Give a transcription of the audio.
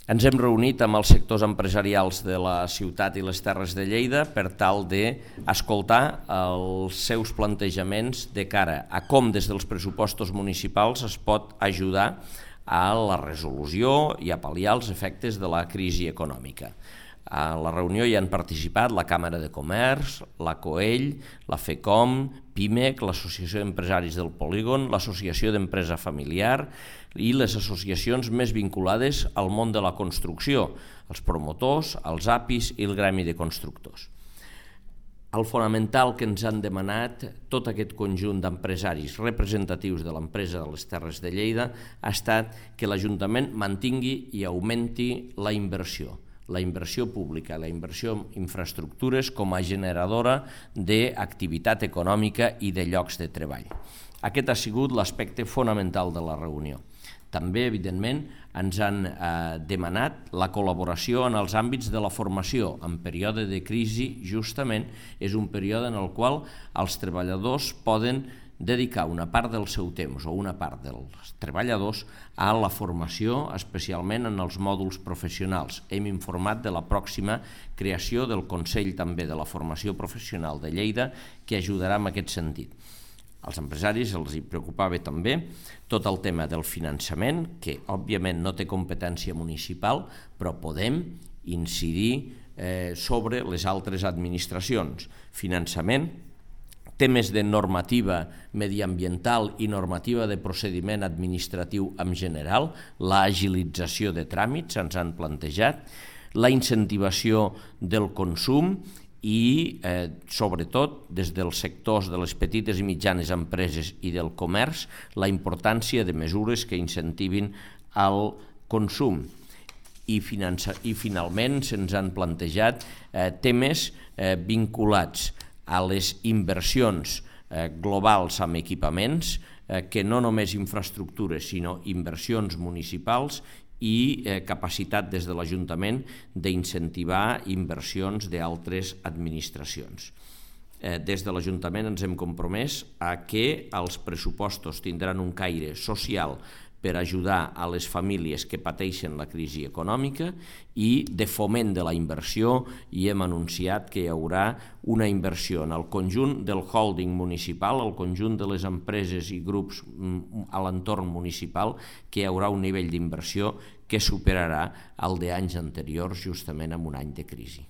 Ens hem reunit amb els sectors empresarials de la ciutat i les Terres de Lleida per tal d'escoltar els seus plantejaments de cara a com des dels pressupostos municipals es pot ajudar a la resolució i a pal·liar els efectes de la crisi econòmica. A la reunió hi han participat la Càmera de Comerç, la COEL, la FECOM, PIMEC, l'Associació d'Empresaris del Polígon, l'Associació d'Empresa Familiar i les associacions més vinculades al món de la construcció, els promotors, els APIs i el Gremi de Constructors. El fonamental que ens han demanat tot aquest conjunt d'empresaris representatius de l'empresa de les Terres de Lleida ha estat que l'Ajuntament mantingui i augmenti la inversió pública, la inversió en infraestructures com a generadora d'activitat econòmica i de llocs de treball. Aquest ha sigut l'aspecte fonamental de la reunió. També, evidentment, ens han demanat la col·laboració en els àmbits de la formació. En període de crisi, justament, és un període en el qual els treballadors poden dedicar una part del seu temps o una part dels treballadors a la formació, especialment en els mòduls professionals. Hem informat de la pròxima creació del Consell també de la Formació Professional de Lleida, que ajudarà en aquest sentit. Als empresaris els hi preocupava també tot el tema del finançament, que òbviament no té competència municipal, però podem incidir sobre les altres administracions. Finançament, temes de normativa mediambiental i normativa de procediment administratiu en general, l'agilització de tràmits ens han plantejat, la incentivació del consum i, sobretot, des dels sectors de les petites i mitjanes empreses i del comerç, la importància de mesures que incentivin el consum. I finalment se'ns han plantejat temes vinculats a les inversions globals amb equipaments, que no només infraestructures, sinó inversions municipals i capacitat des de l'Ajuntament d'incentivar inversions d'altres administracions. Des de l'Ajuntament ens hem compromès a que els pressupostos tindran un caire social per ajudar a les famílies que pateixen la crisi econòmica i de foment de la inversió, i hem anunciat que hi haurà una inversió en el conjunt del holding municipal, el conjunt de les empreses i grups a l'entorn municipal, que hi haurà un nivell d'inversió que superarà el d'anys anteriors, justament en un any de crisi.